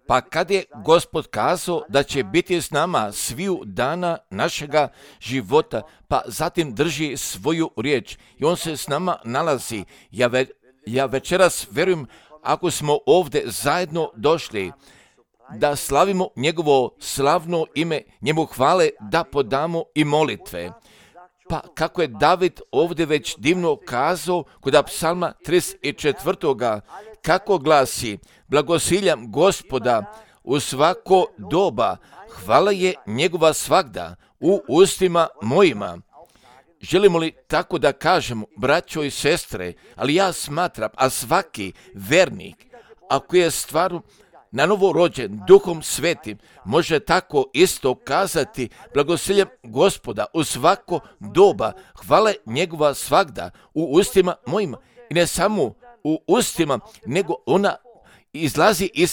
Pa kad je Gospod kazao da će biti s nama sviju dana našega života, pa zatim drži svoju riječ i on se s nama nalazi. Ja večeras vjerujem, ako smo ovdje zajedno došli, da slavimo njegovo slavno ime, njemu hvale, da podamo i molitve. Pa kako je David ovdje već divno kazao kod psalma 34. kako glasi: blagosiljam Gospoda u svako doba, hvala je njegova svagda u ustima mojima. Želimo li tako da kažemo, braćo i sestre, ali ja smatram, a svaki vernik, ako je stvarno na novo rođen Duhom Svetim, može tako isto kazati: blagosiljam Gospoda u svako doba, hvale njegova svagda u ustima mojima. I ne samo u ustima, nego ona izlazi iz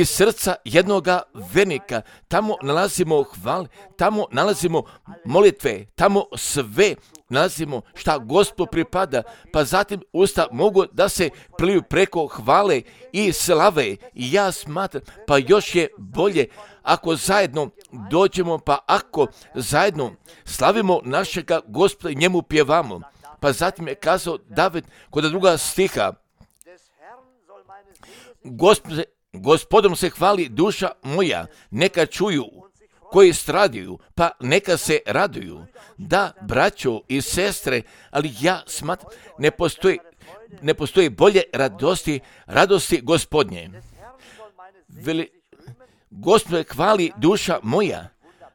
srca jednoga vernika. Tamo nalazimo hvale, tamo nalazimo molitve, tamo sve nalazimo šta Gospodu pripada, pa zatim usta mogu da se pliju preko hvale i slave. I ja smatram, pa još je bolje ako zajedno dođemo, pa ako zajedno slavimo našega Gospoda i njemu pjevamo. Pa zatim je kazao David kod druga stiha: Gospodom se hvali duša moja, neka čuju koji stradaju, pa neka se raduju. Da, braćo i sestre, ali ja smatram, ne postoji bolje radosti Gospodnje. Gospod hvali duša moja,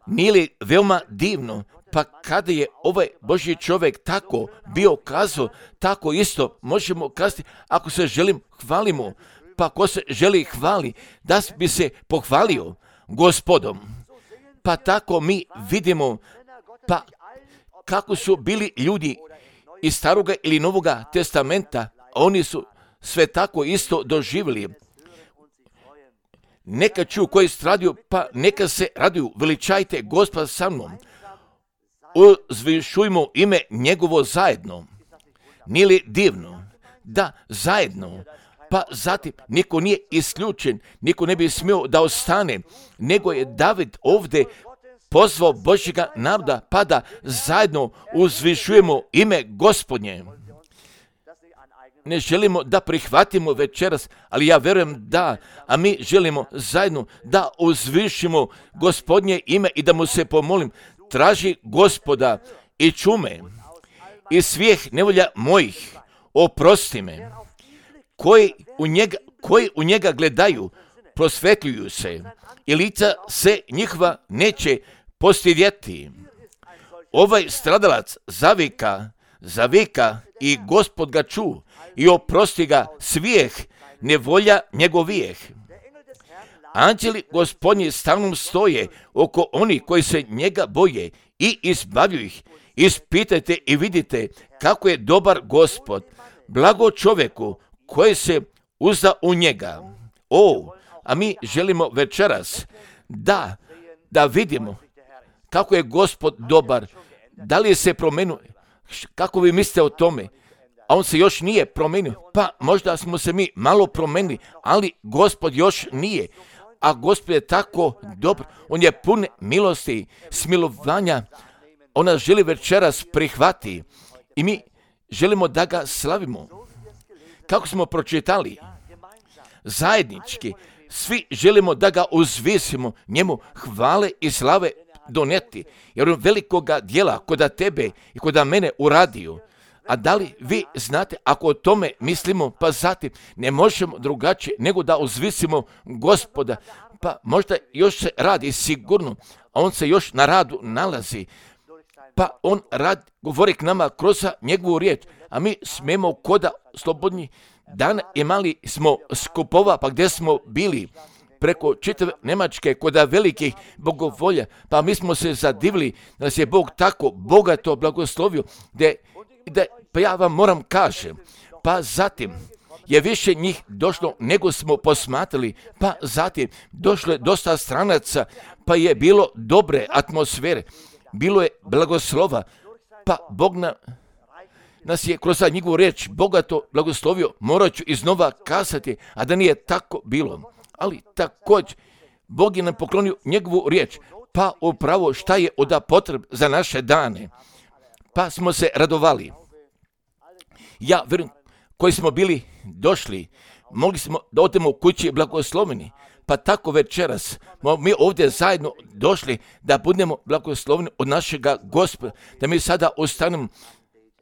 nije li veoma divno? Pa kada je ovaj Božji čovjek tako bio kazao, tako isto možemo kazati ako se hvalimo. Pa ko se želi hvali, da bi se pohvalio Gospodom. Pa tako mi vidimo, pa kako su bili ljudi iz Staroga ili Novoga testamenta, oni su sve tako isto doživjeli. Neka čuju koji stradaju, pa neka se raduju, veličajte Gospoda sa mnom. Uzvišujmo ime njegovo zajedno. Nije li divno? Da, zajedno. Pa zatim niko nije isključen, niko ne bi smio da ostane, nego je David ovdje pozvao Božjega naroda, pa da zajedno uzvišujemo ime Gospodnje. Ne želimo da prihvatimo večeras, ali ja vjerujem da, a mi želimo zajedno da uzvišimo Gospodnje ime i da mu se pomolim: traži Gospoda i čume i svih nevolja mojih, oprosti me. Koji u njega gledaju, prosvetljuju se i lica se njihova neće postidjeti. Ovaj stradalac zavika i Gospod ga ču i oprosti ga svih nevolja njegovijeh. Anđeli Gospodnji stalno stoje oko onih koji se njega boje i izbavljuju ih. Ispitajte i vidite kako je dobar Gospod, blago čovjeku koji se uzda u njega. A mi želimo večeras da vidimo kako je Gospod dobar. Da li se promenio? Kako vi mislite o tome? A on se još nije promenio. Pa možda smo se mi malo promenili, ali Gospod još nije. A Gospod je tako dobar. On je pun milosti, smilovanja. On nas želi večeras prihvati. I mi želimo da ga slavimo. Kako smo pročitali, zajednički, svi želimo da ga uzvisimo, njemu hvale i slave doneti, jer on velikoga djela koda tebe i koda mene uradio. A da li vi znate, ako o tome mislimo, pa zatim ne možemo drugačije nego da uzvisimo Gospoda, pa možda još se radi sigurno, a on se još na radu nalazi, pa on govori k nama kroz njegovu riječ, a mi smijemo koda slobodni dan imali smo skupova, pa gdje smo bili preko čitave Njemačke koda velikih bogovolja, pa mi smo se zadivili da nas je Bog tako bogato blagoslovio, pa ja vam moram kažem, pa zatim je više njih došlo nego smo posmatrali, pa zatim došlo je dosta stranaca, pa je bilo dobre atmosfere, bilo je blagoslova, pa Bog nam nas je kroz njegovu riječ bogato blagoslovio, morat ću iznova kazati, a da nije tako bilo. Ali također, Bog je nam poklonio njegovu riječ, pa upravo šta je onda potreb za naše dane. Pa smo se radovali. Ja vjerujem, koji smo bili došli, mogli smo da odemo u kući blagosloveni. Pa tako večeras mi ovdje zajedno došli da budemo blagosloveni od našega Gospoda, da mi sada ostanemo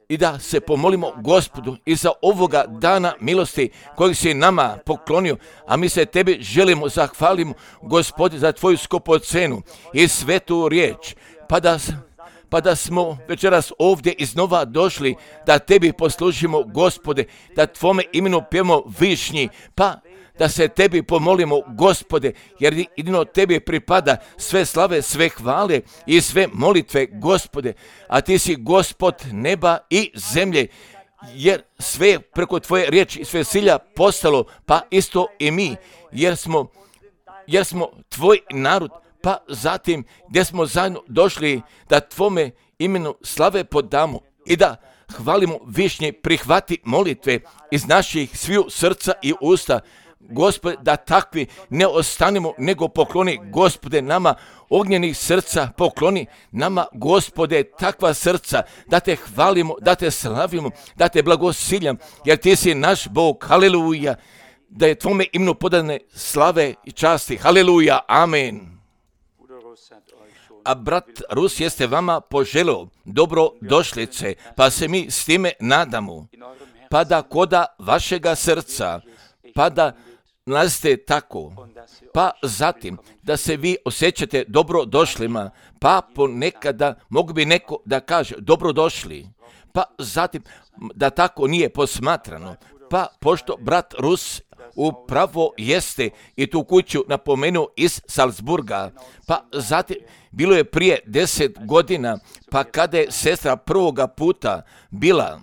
i da se pomolimo Gospodu i za ovoga dana milosti kojeg si nama poklonio, a mi se tebi želimo zahvalimo, Gospodi, za tvoju skupocenu i svetu riječ, pa da smo večeras ovdje iznova došli da tebi poslužimo, Gospode, da tvome imenu pjevamo višnji, pa da se tebi pomolimo, Gospode, jer jedino tebi pripada sve slave, sve hvale i sve molitve, Gospode, a ti si Gospod neba i zemlje, jer sve je preko tvoje riječi i sve silja postalo, pa isto i mi, jer smo tvoj narod, pa zatim gdje smo zajedno došli da tvome imenu slave podamo i da hvalimo višnje, prihvati molitve iz naših sviju srca i usta, Gospode, da takvi ne ostanemo, nego pokloni, Gospode, nama ognjenih srca, pokloni nama, Gospode, takva srca, da te hvalimo, da te slavimo, da te blagosiljam, jer ti si naš Bog, haleluja, da je tvome imenu podane slave i časti, haleluja, amen. A brat Rus jeste vama poželio dobro došlice, pa se mi s time nadamo, pa da koda vašega srca, pa da nalazite tako, pa zatim da se vi osjećate dobro došlima, pa ponekada mogu bi neko da kaže dobro došli, pa zatim da tako nije posmatrano, pa pošto brat Rus upravo jeste i tu kuću napomenuo iz Salzburga, pa zatim bilo je prije 10 godina, pa kada je sestra prvoga puta bila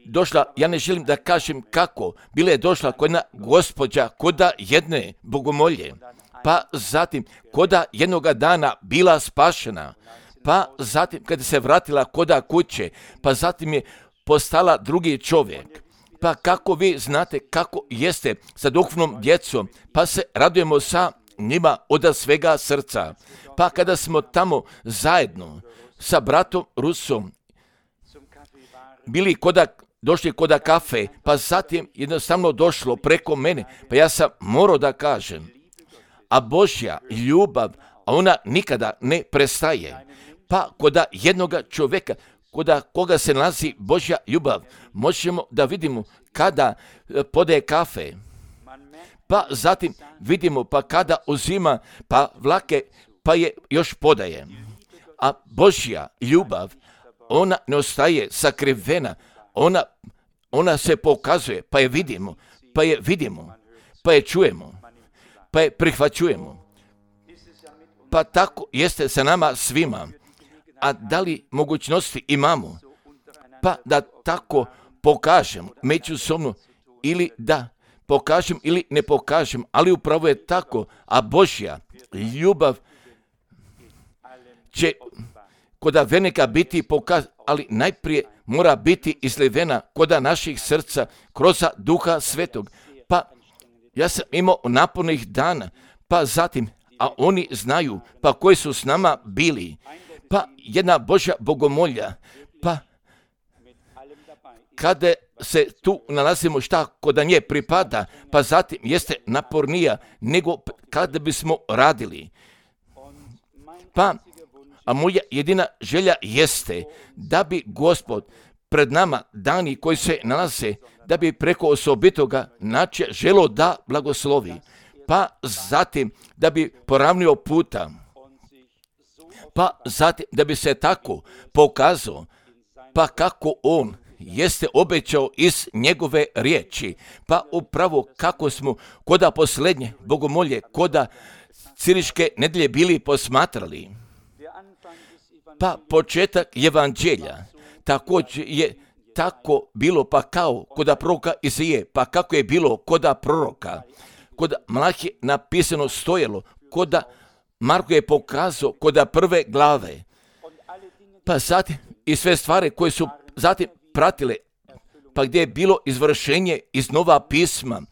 došla, ja ne želim da kažem kako, bila je došla koda gospođa, koda jedne bogomolje, pa zatim koda jednoga dana bila spašena, pa zatim kada se vratila koda kuće, pa zatim je postala drugi čovjek. Pa kako vi znate kako jeste sa duhovnom djecom, pa se radujemo sa njima od svega srca. Pa kada smo tamo zajedno sa bratom Rusom bili došli koda kafe, pa zatim jednostavno došlo preko mene, pa ja sam morao da kažem, a Božja ljubav, a ona nikada ne prestaje. Pa koda jednoga čovjeka, koda koga se nalazi Božja ljubav, možemo da vidimo kada podaje kafe, pa zatim vidimo pa kada uzima pa vlake, pa je još podaje. A Božja ljubav, ona ne ostaje sakrivena, ona se pokazuje, pa je vidimo, pa je čujemo, pa je prihvaćujemo. Pa tako jeste sa nama svima. A da li mogućnosti imamo? Pa da tako pokažem međusobno, ili da pokažem ili ne pokažem, ali upravo je tako, a Božja ljubav će koda velika biti pokazana, ali najprije mora biti izlivena koda naših srca kroz Duha Svetog. Pa ja sam imao napornih dana, pa zatim, a oni znaju, pa koji su s nama bili, pa jedna Božja bogomolja, pa kada se tu nalazimo šta koda nje pripada, pa zatim jeste napornija nego kada bismo radili. Pa, a moja jedina želja jeste da bi Gospod pred nama dani koji se nalaze, da bi preko osobitoga načina želo da blagoslovi, pa zatim da bi poravnio puta, pa zatim da bi se tako pokazao, pa kako on jeste obećao iz njegove riječi, pa upravo kako smo koda posljednje bogomolje, koda Ciriške nedelje bili posmatrali. Pa početak evanđelja također je tako bilo, pa kao koda proroka Izije, pa kako je bilo koda proroka, koda Malahije napisano stojalo, koda Marko je pokazao koda prve glave, pa zatim i sve stvari koje su zatim pratile, pa gdje je bilo izvršenje iz Nova pisma,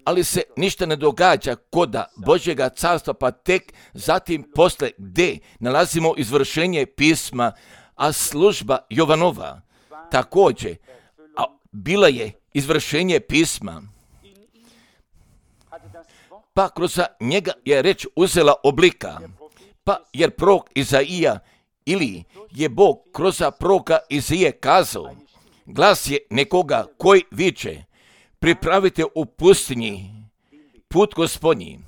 ali se ništa ne događa koda Božjega carstva, pa tek zatim posle gdje nalazimo izvršenje pisma, a služba Jovanova također, a bila je izvršenje pisma, pa kroz njega je reč uzela oblika, pa jer prorok Izaija ili je Bog kroz proroka Izaije kazao, glas je nekoga koji viče, pripravite u pustinji put Gospodnji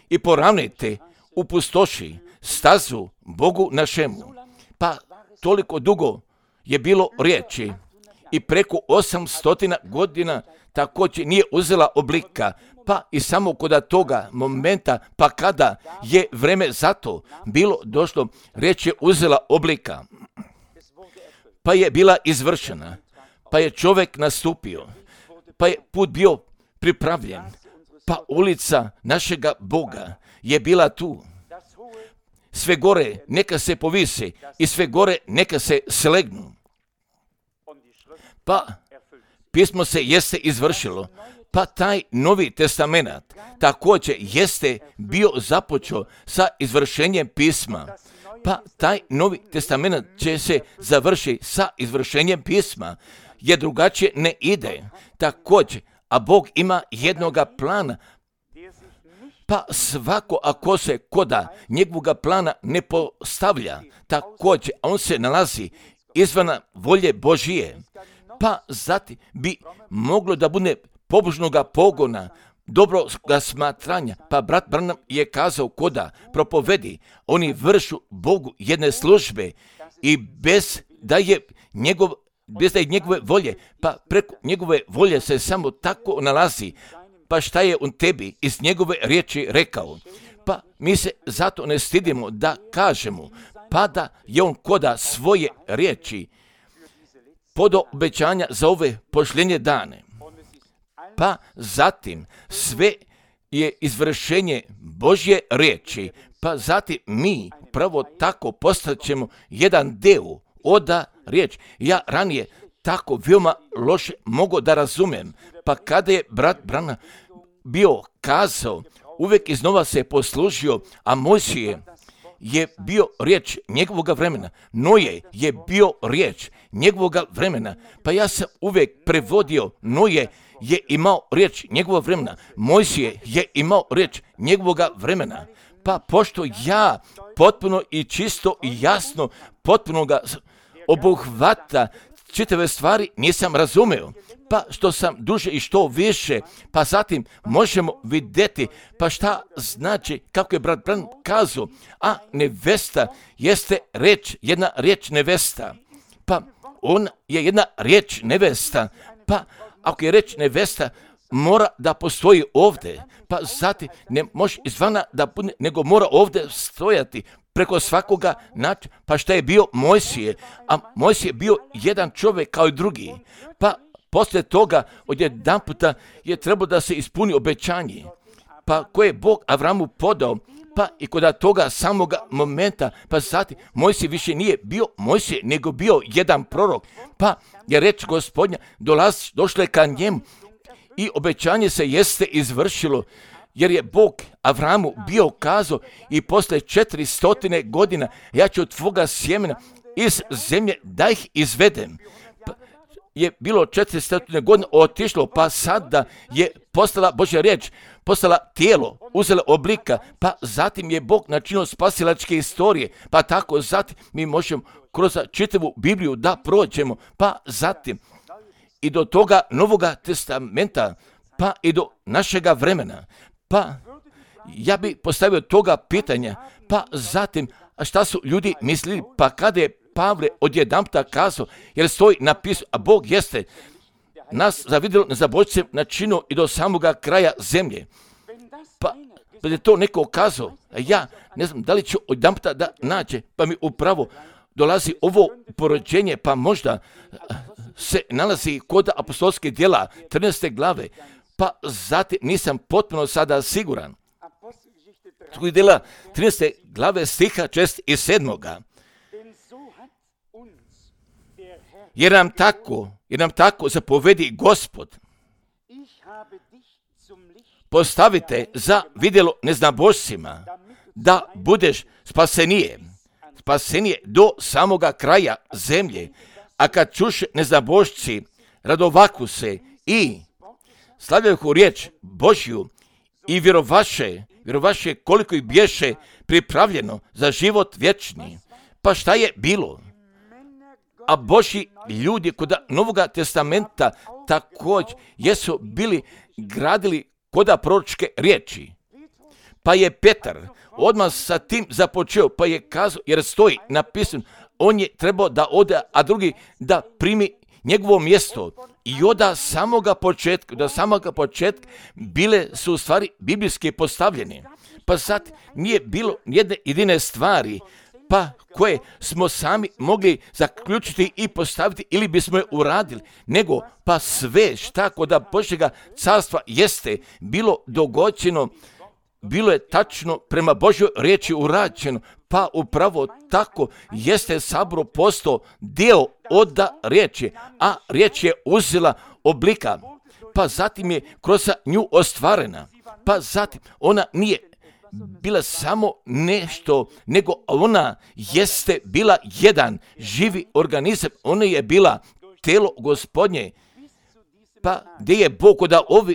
i poravnajte u pustoši stazu Bogu našemu. Pa toliko dugo je bilo riječi i preko 800 godina također nije uzela oblika, pa i samo kod toga momenta, pa kada je vreme za to bilo došlo, riječ je uzela oblika, pa je bila izvršena, pa je čovjek nastupio, pa je put bio pripravljen, pa ulica našega Boga je bila tu. Sve gore neka se povise i sve gore neka se slegnu. Pa pismo se jeste izvršilo, pa taj Novi testament također jeste bio započeo sa izvršenjem pisma. Pa taj Novi testament će se završiti sa izvršenjem pisma, jer drugačije ne ide. Također, a Bog ima jednoga plana, pa svako ako se koda njegovoga plana ne postavlja, također on se nalazi izvan volje Božije, pa zatim bi moglo da bude pobožnoga pogona, dobroga smatranja, pa brat Branham je kazao koda propovedi, oni vršu Bogu jedne službe i bez da je njegove volje, pa preko njegove volje se samo tako nalazi, pa šta je on tebi iz njegove riječi rekao, pa mi se zato ne stidimo da kažemo, pa da je on koda svoje riječi podao obećanja za ove pošljenje dane. Pa zatim sve je izvršenje Božje riječi, pa zatim mi pravo tako postaćemo jedan deo oda riječ. Ja ranije tako veoma loše mogu da razumem, pa kada je brat Branham bio kazao, uvijek iznova se poslužio, a Mojsije je bio riječ njegovoga vremena, Noje je bio riječ njegovoga vremena, pa ja sam uvijek prevodio, Noje je imao riječ njegovog vremena, Mojsije je imao riječ njegovoga vremena, pa pošto ja potpuno i čisto i jasno potpuno ga obuhvata čitave stvari nisam razumeo, pa što sam duže i što više, pa zatim možemo vidjeti, pa šta znači, kako je brat Branham kazao, a nevesta jeste reč, jedna riječ nevesta, pa on je jedna riječ nevesta, pa ako je reč nevesta, mora da postoji ovdje, pa zatim ne može izvana da bude, nego mora ovdje stojati preko svakoga načina. Pa šta je bio Mojsije? A Mojsije je bio jedan čovjek kao i drugi. Pa poslije toga odjedanputa je trebalo da se ispuni obećanje. Pa koje je Bog Avramu podao, pa i kod toga samoga momenta, pa zatim Mojsije više nije bio Mojsije, nego bio jedan prorok. Pa je reč Gospodnja došla ka njemu i obećanje se jeste izvršilo, jer je Bog Avramu bio kazao i posle 400 godina ja ću od tvoga sjemena iz zemlje da ih izvedem. Pa je bilo 400 godina otišlo, pa sada je postala Božja riječ, postala tijelo, uzela oblika, pa zatim je Bog načinio spasilačke istorije, pa tako zatim mi možemo kroz čitavu Bibliju da prođemo, pa zatim i do toga Novoga testamenta, pa i do našega vremena. Pa ja bi postavio toga pitanja, pa zatim šta su ljudi mislili, pa kada je Pavle odjedanputa kazao, jer stoji napisano, a Bog jeste nas zavidjelo nezabojice načinio i do samoga kraja zemlje. Pa je to neko kazao, a ja ne znam da li ću odjedanputa da nađe, pa mi upravo dolazi ovo porođenje, pa možda se nalazi kod apostolske djela 13. glave, pa zatim nisam potpuno sada siguran. Djela 13. glave stiha 6 i 7. jer nam tako zapovedi Gospod. Postavite za vidjelo neznabošcima, da budeš spasenije do samoga kraja zemlje. A kad čuše neznabošci, radovaku se i slavljahu riječ Božju i vjerovaše koliko ih bješe pripravljeno za život vječni. Pa šta je bilo? A Božji ljudi kod Novoga testamenta također jesu bili gradili koda proročke riječi. Pa je Petar odmah sa tim započeo, pa je kazao, jer stoji napisano, on je trebao da ode, a drugi da primi njegovo mjesto. I od samoga početka bile su u stvari biblijski postavljene. Pa sad nije bilo jedne jedine stvari, pa koje smo sami mogli zaključiti i postaviti ili bismo je uradili, nego pa sve šta kod Božjega carstva jeste bilo dogođeno, bilo je tačno prema Božjoj riječi urađeno, pa upravo tako jeste sabor postao dio od riječi, a riječ je uzela oblika, pa zatim je kroz nju ostvarena, pa zatim ona nije bila samo nešto, nego ona jeste bila jedan živi organizam, ona je bila telo Gospodnje, pa gdje je Bog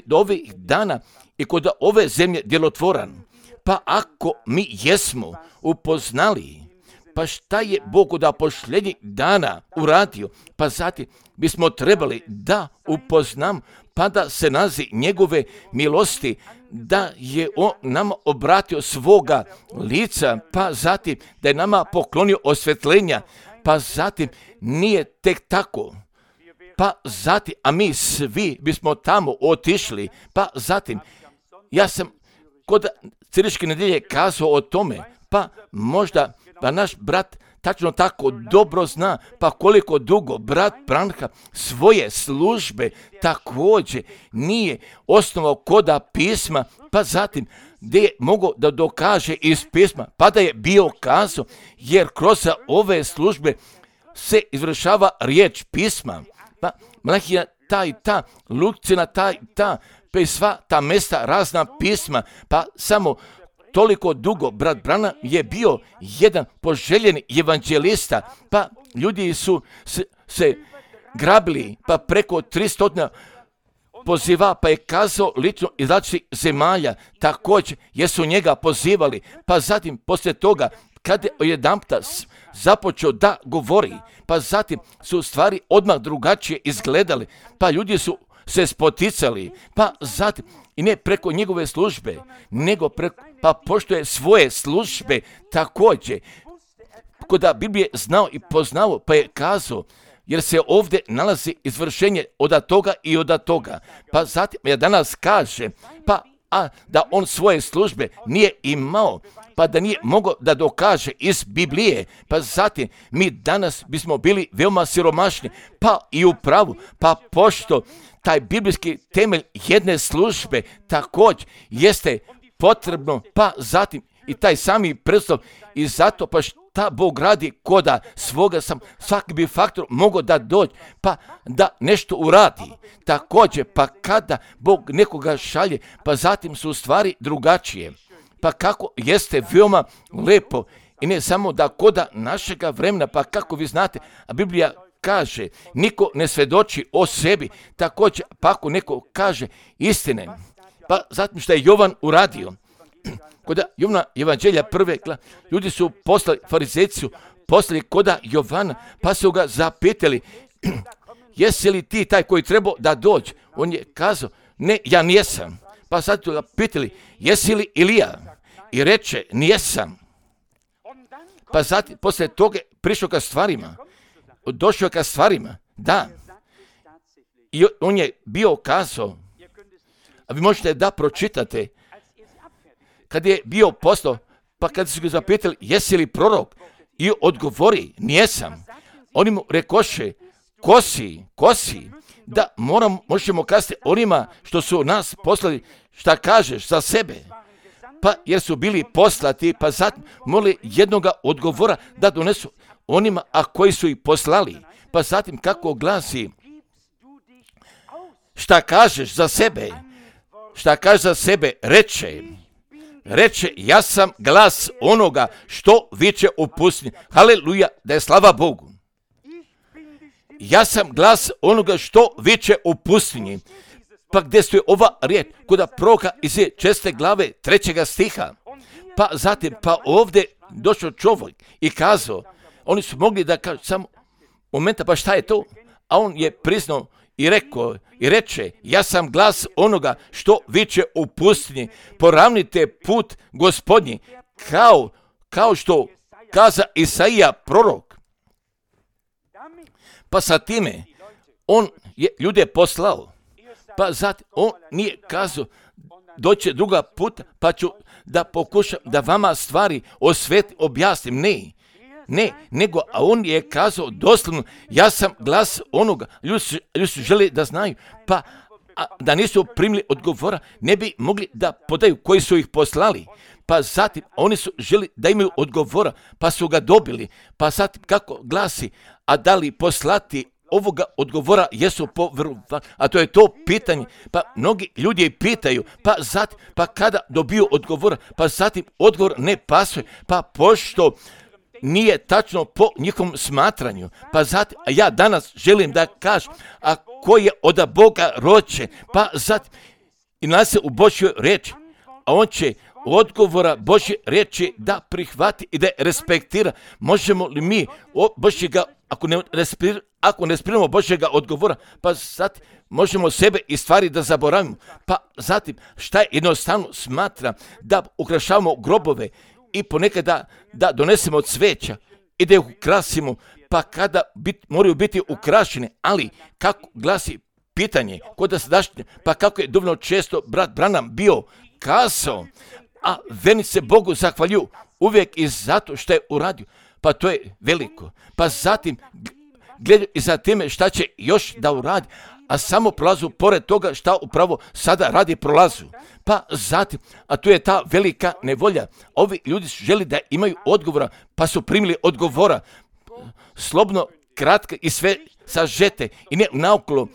do ovih dana i kod ove zemlje djelotvoran. Pa ako mi jesmo upoznali, pa šta je Bog od posljednjih dana uradio, pa zatim bismo trebali da upoznam, pa da se nazi njegove milosti, da je on nama obratio svoga lica, pa zatim da je nama poklonio osvjetljenja, pa zatim nije tek tako. Pa zatim, a mi svi bismo tamo otišli, pa zatim, ja sam kod Crničke nedjelje kazao o tome, pa možda pa naš brat tačno tako dobro zna, pa koliko dugo brat Branha svoje službe također nije osnovao koda pisma, pa zatim gdje je mogao da dokaže iz pisma, pa da je bio kazao, jer kroz ove službe se izvršava riječ pisma, pa Malahija ta i ta, Lukcina ta i ta, pa i sva ta mesta razna pisma, pa samo toliko dugo brat Branham je bio jedan poželjeni evanđelista, pa ljudi su se grabili, pa preko 300 poziva, pa je kazao lično iz različitih zemalja, također jesu njega pozivali, pa zatim poslije toga kad je jedanputa započeo da govori, pa zatim su stvari odmah drugačije izgledali, pa ljudi su se spoticali, pa zatim i ne preko njegove službe, nego pa pošto je svoje službe također, kod Biblije znao i poznao, pa je kazao, jer se ovdje nalazi izvršenje od toga i od toga. Pa zatim ja danas kaže, a da on svoje službe nije imao, pa da nije mogao da dokaže iz Biblije, pa zatim mi danas bismo bili veoma siromašni, pa i u pravu, pa pošto taj biblijski temelj jedne službe također jeste potrebno, pa zatim i taj sami predstav i zato pa šta Bog radi koda svoga svaki bi faktor mogao da dođe, pa da nešto uradi. Također, pa kada Bog nekoga šalje, pa zatim su stvari drugačije. Pa kako jeste veoma lepo i ne samo da koda našega vremena, pa kako vi znate, a Biblija kaže, niko ne svjedoči o sebi, također, pa ako neko kaže istine, pa zatim što je Jovan uradio, kod Jovana evanđelja prve, ljudi su poslali, farizejci su poslali koda Jovana, pa su ga zapitali, jesi li ti taj koji trebao da dođe? On je kazao, ne, ja nijesam. Pa sad su ga pitali, jesi li Ilija? I reče, nijesam. Pa zatim, poslije toga prišao ka stvarima, došao ka stvarima, da. I on je bio kazao, a vi možete da pročitate, kad je bio poslao, pa kad su ga zapitali, jesi li prorok? I odgovori, nijesam. Oni mu rekoše, ko si? Da možemo kazati onima što su nas poslali, šta kažeš za sebe? Pa jer su bili poslati, pa zatim morali jednoga odgovora da donesu onima, a koji su ih poslali. pa zatim kako glasi, šta kažeš za sebe, reče, ja sam glas onoga što viče u pustinji. Haleluja, da je slava Bogu. Ja sam glas onoga što viče u pustinji. Pa gdje stoji ova riječ? Kod proroka Izije 6. glave 3. stiha. Pa zatim, ovdje došao čovjek i kazao, oni su mogli da kažu samo momenta, pa šta je to? A on je priznao i rekao i reče, ja sam glas onoga što viče u pustinji, poravnite put Gospodnji, kao što kaza Isaija prorok. Pa sa time on je ljude poslao. Pa zatim on nije kazao doće druga puta, pa ću da pokušam da vama stvari objasnim. Ne, nego a on je kazao doslovno, ja sam glas onoga. Ljudi su želi da znaju, pa da nisu primili odgovora, ne bi mogli da podaju koji su ih poslali. Pa zatim oni su želi da imaju odgovora, pa su ga dobili. Pa zatim kako glasi, a da li poslati ovoga odgovora jesu povjerovali, a to je to pitanje. Pa mnogi ljudi pitaju, pa zatim, pa kada dobiju odgovora, pa zatim odgovor ne pasuje, pa pošto nije tačno po njihovom smatranju. Pa zatim, a ja danas želim da kažem, a ko je od Boga rođen, pa zatim i nalazi se u Božjoj riječi, a on će odgovora Božje riječi da prihvati i da respektira. Možemo li mi Božjega, ako ne sprimamo Božjega odgovora, pa zatim možemo sebe i stvari da zaboravimo. Pa zatim šta je jednostavno smatra da ukrašavamo grobove i ponekad da donesemo cveća i da ih ukrasimo, pa kada moraju biti ukrašene, ali kako glasi pitanje kod da sadašnje, pa kako je dovoljno često brat Branham bio kazao, a vernici se Bogu zahvaljuju uvijek i zato što je uradio, pa to je veliko. Pa zatim gledaju i za time šta će još da uradi, a samo prolazu pored toga šta upravo sada radi prolazu. Pa zatim, a tu je ta velika nevolja. Ovi ljudi su želi da imaju odgovora, pa su primili odgovora. Slobno, kratko i sve sažete i ne naokolo,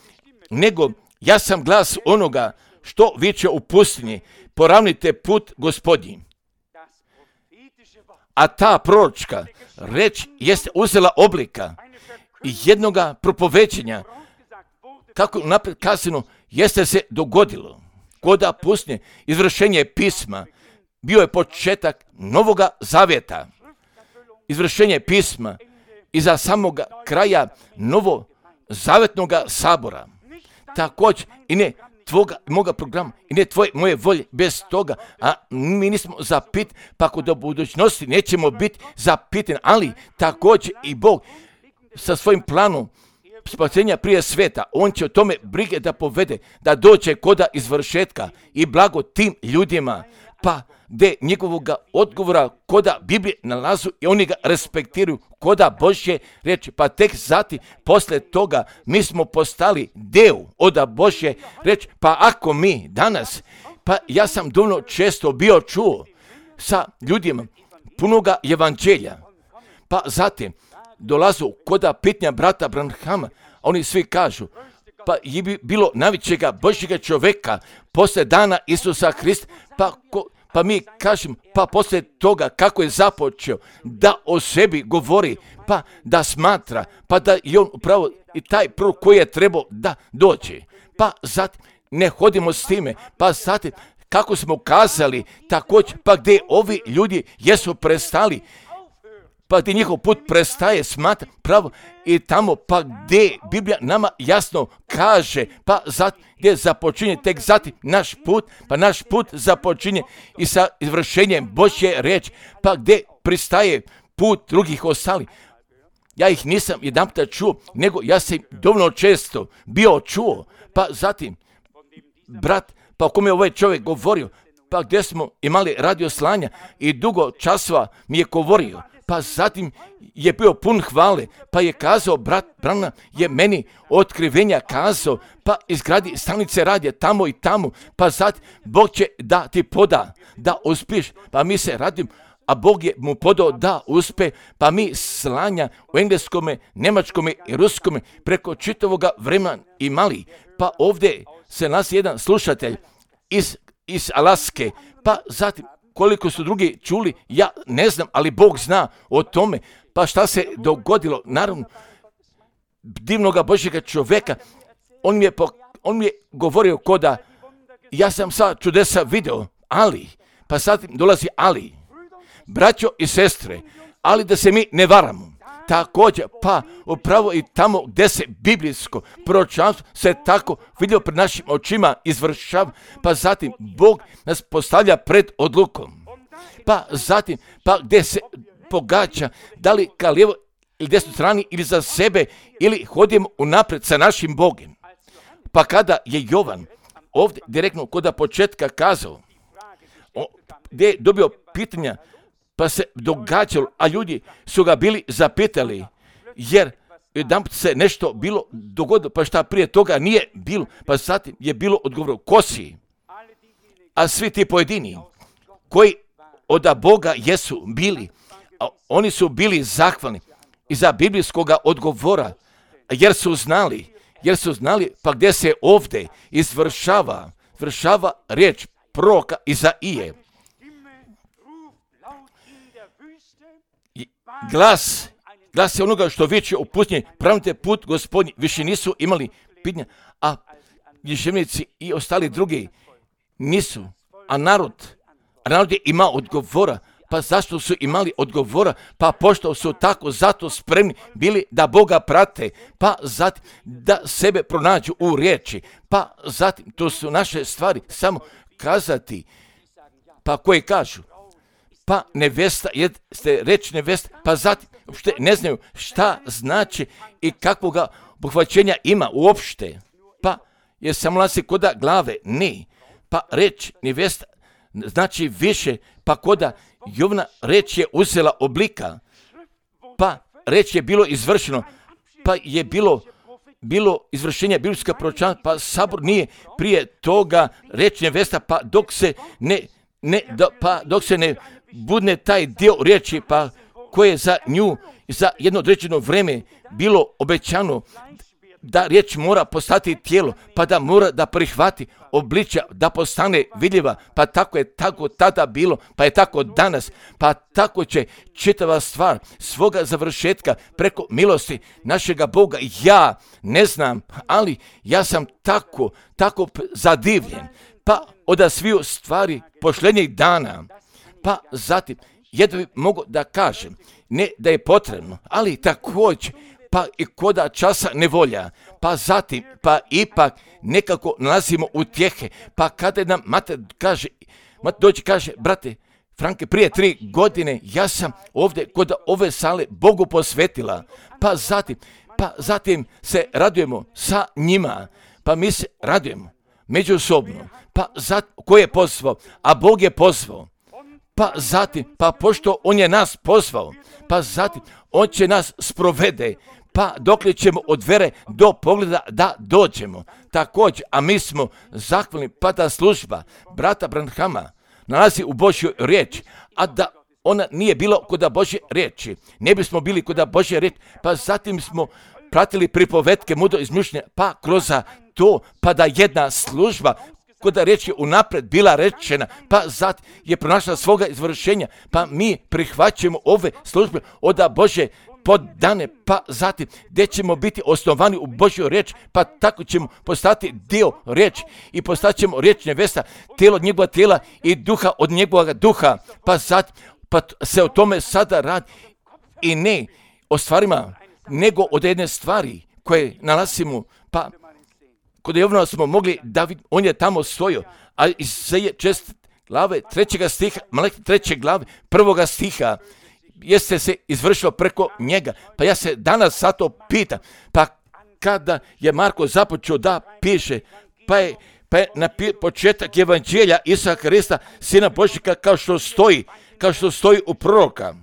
nego ja sam glas onoga što viče u pustinji, poravnite put Gospodnji. A ta proročka reč jeste uzela oblika jednoga propovećenja, kako je napred kazano, jeste se dogodilo. Koda pustinje, izvršenje pisma, bio je početak Novoga Zavjeta. Izvršenje pisma iza samoga kraja Novozavjetnoga sabora. Također i ne tvoga i moga programa i ne moje volje bez toga, a mi nismo zapit, pa kod do budućnosti nećemo biti zapitani, ali također i Bog sa svojim planom spasenja prije sveta, on će o tome brige da povede, da dođe koda izvršetka i blago tim ljudima, pa gdje njegovog odgovora koda Biblije nalazu i oni ga respektiraju koda Božje reči, pa tek zatim posle toga mi smo postali deo od Božje reči. Pa ako mi danas, pa ja sam dovoljno često bio čuo sa ljudima punoga evanđelja, pa zatim dolazu koda pitanja brata Branhama, oni svi kažu, pa je bilo najvećega Božjega čovjeka posle dana Isusa Hrista, pa mi kažemo, pa poslije toga kako je započeo da o sebi govori, pa da smatra, pa da je on upravo i taj prorok koji je trebao da dođe. Pa zatim ne hodimo s time, pa zatim kako smo kazali također, pa gdje ovi ljudi jesu prestali, pa gdje njihov put prestaje smatra pravo i tamo pa gdje Biblija nama jasno kaže, pa zatim gdje započinje tek zatim naš put, pa naš put započinje i sa izvršenjem Božje riječi, pa gdje pristaje put drugih ostali. Ja ih nisam jedanputa čuo, nego ja sam dovoljno često bio čuo, pa zatim brat, pa o kome je ovaj čovjek govorio, pa gdje smo imali radio slanja i dugo časova mi je govorio, pa zatim je bio pun hvale, pa je kazao, brat Branham je meni otkrivenja kazao, pa izgradi stanice radija tamo i tamo, pa zatim Bog će da ti poda, da uspiješ, pa mi se radimo, a Bog je mu podao da uspe, pa mi slanja u engleskome, njemačkome i ruskome preko čitavoga vremena imali. Pa ovdje se nalazi jedan slušatelj iz Alaske, pa zatim koliko su drugi čuli, ja ne znam, ali Bog zna o tome. Pa šta se dogodilo? Naravno, divnoga Božjega čovjeka, on mi je govorio koda, ja sam sad čudesa video, ali, pa sad dolazi ali, braćo i sestre, ali da se mi ne varamo. Također, pa upravo i tamo gdje se biblijsko proročanstvo se tako vidio pred našim očima izvršava, pa zatim Bog nas postavlja pred odlukom. Pa zatim, pa gdje se pogađa, da li ka lijevo ili desnoj strani ili za sebe, ili hodimo unaprijed sa našim Bogom. Pa kada je Jovan ovdje direktno kod početka kazao, gdje je dobio pitanja, pa se događalo, a ljudi su ga bili zapitali, jer jedanput se nešto bilo dogodilo, pa šta prije toga nije bilo, pa zatim je bilo odgovor, ko si? A svi ti pojedini koji od Boga jesu bili, a oni su bili zahvalni iza biblijskoga odgovora, jer su znali, pa gdje se ovdje izvršava riječ proroka Izaije. Glas je onoga što viče u pustinji, pravite put Gospodnji, više nisu imali pitanja, a književnici i ostali drugi nisu, a narod je imao odgovora. Pa zašto su imali odgovora? Pa pošto su tako zato spremni bili da Boga prate, pa zatim da sebe pronađu u riječi, pa zatim to su naše stvari samo kazati, pa koji kažu, pa nevesta, jeste reći nevesta, pa zatim uopšte ne znaju šta znači i kakvoga obuhvaćenja ima uopšte, pa je samo nalazi koda glave, ne, pa reč nevesta znači više, pa koda Jovna reč je uzela oblika, pa reč je bilo izvršeno, pa je bilo izvršenje biblijska proročanstva, pa sabor nije prije toga reč nevesta, pa dok se ne budne taj dio riječi, pa koje je za nju za jedno određeno vrijeme bilo obećano da riječ mora postati tijelo, pa da mora da prihvati obličja, da postane vidljiva, pa tako je tako tada bilo, pa je tako danas, pa tako će čitava stvar svoga završetka preko milosti našega Boga. Ja ne znam, ali ja sam tako zadivljen, pa od sviju stvari pošljenjih dana, pa zatim jedno bi mogu da kažem, ne da je potrebno, ali također, pa i koda časa nevolja, pa zatim, pa ipak nekako nalazimo utjehe, pa kada nam mater dođe kaže, brate Franke, prije 3 godine ja sam ovdje kod ove sale Bogu posvetila, pa zatim se radujemo sa njima, pa mi se radujemo međusobno, pa zatim, ko je pozvao? A Bog je pozvao. Pa zatim, pa pošto on je nas pozvao, pa zatim on će nas sprovede, pa dokle ćemo od vere do pogleda da dođemo. Također, a mi smo zahvalni, pa ta služba brata Branhama nalazi u Božjoj riječi, a da ona nije bilo kod Božje riječi, ne bismo bili kod Božje riječi, pa zatim smo pratili pripovetke mudro izmišljenja, pa kroz to, pa da jedna služba kod riječ je unaprijed bila rečena, pa zatim je pronašla svoga izvršenja, pa mi prihvaćamo ove službe od Božje poddane, pa zatim gdje ćemo biti osnovani u Božju riječ, pa tako ćemo postati dio riječi i postat ćemo riječ nevesta, tijelo od njegova tijela i duha od njegovog duha, pa zatim pa se o tome sada radi i ne o stvarima, nego od jedne stvari koje nalazimo, pa kod Jovana smo mogli da vidimo, on je tamo stojio, a Izaije 6 glave 3. stiha, Malahija 3. glave 1. stiha, jeste se izvršilo preko njega. Pa ja se danas zato pitam, pa kada je Marko započeo da piše, pa je na početak evanđelja Isusa Krista, Sina Božjega, kao što stoji u proroka.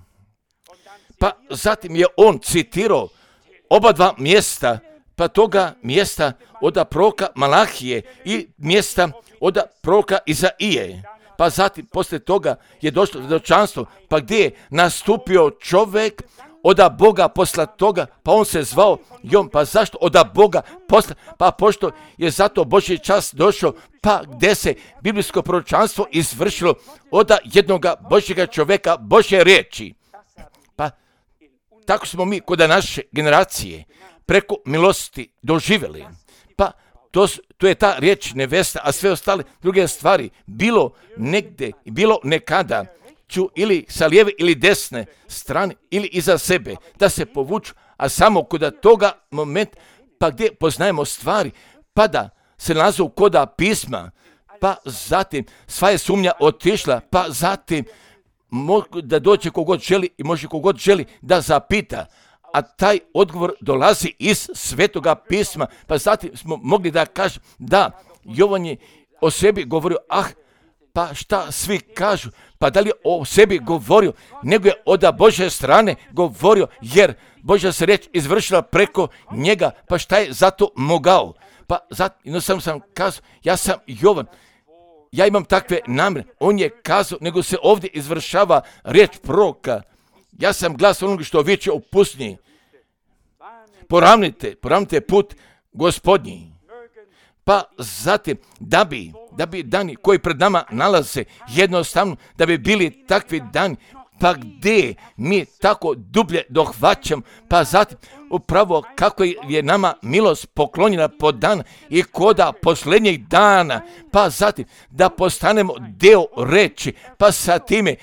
Pa zatim je on citirao oba dva mjesta, pa toga mjesta od proroka Malahije i mjesta od proroka Izaije. pa zatim poslije toga je došlo svjedočanstvo, pa gdje je nastupio čovjek oda Boga posla toga, pa on se zvao Jon, pa zašto oda Boga posla, pa pošto je zato Božji čas došao, pa gdje se biblijsko proročanstvo izvršilo oda jednoga Božjega čovjeka, Božje riječi. Pa tako smo mi kod naše generacije preko milosti doživjeli. Pa to je ta riječ nevesta, a sve ostale druge stvari, bilo negdje, bilo nekada, ću ili sa lijeve ili desne strane ili iza sebe da se povuču, a samo kod toga moment, pa gdje poznajemo stvari, pa da se nalaze koda pisma, pa zatim sva je sumnja otišla, pa zatim da dođe kogod želi i može kogod želi da zapita, a taj odgovor dolazi iz Svetoga pisma, pa zatim smo mogli da kažemo da Jovan je o sebi govorio, pa šta svi kažu, pa da li je o sebi govorio, nego je od Božje strane govorio, jer Božja se riječ izvršila preko njega, pa šta je zato mogao. Pa zato sam kazao, ja sam Jovan, ja imam takve namjere, on je kazao, nego se ovdje izvršava riječ proroka. Ja sam glas onoga što viče u pustinji. Poravnite put Gospodnji. Pa zatim, da bi dani koji pred nama nalaze jednostavno, da bi bili takvi dani, pa gdje mi tako dublje dohvaćam, pa zatim upravo kako je nama milost poklonjena po dan i koda posljednjih dana, pa zatim da postanemo deo reči, pa sa time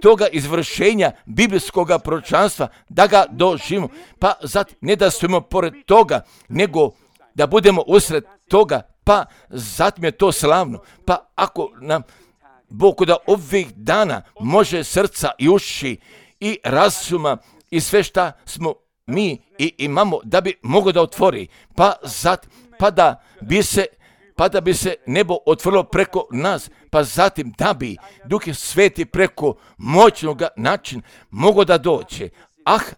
toga izvršenja biblijskog proročanstva da ga doživimo, pa zatim ne da stojimo pored toga, nego da budemo usred toga, pa zatim je to slavno. Pa ako nam Bog da ovih dana može srca i uši i razuma i sve šta smo mi i imamo da bi mogo da otvori, pa da bi se nebo otvorilo preko nas, pa zatim da bi Duh Sveti preko moćnog načina mogo da dođe.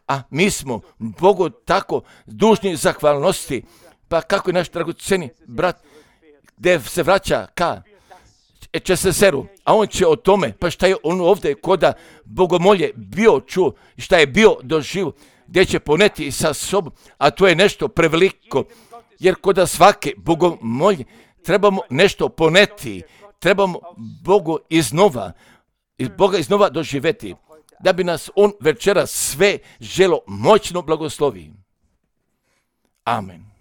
A mi smo Bogu tako dužni zahvalnosti. Pa kako je naš dragoceni brat gdje se vraća ka Česeseru, a on će o tome, pa šta je on ovdje koda bogomolje bio čuo, šta je bio doživo, gdje će poneti sa sobom, a to je nešto preveliko, jer koda svake bogomolje trebamo nešto poneti, trebamo Boga iznova doživeti, da bi nas on večeras sve želo moćno blagoslovi. Amen.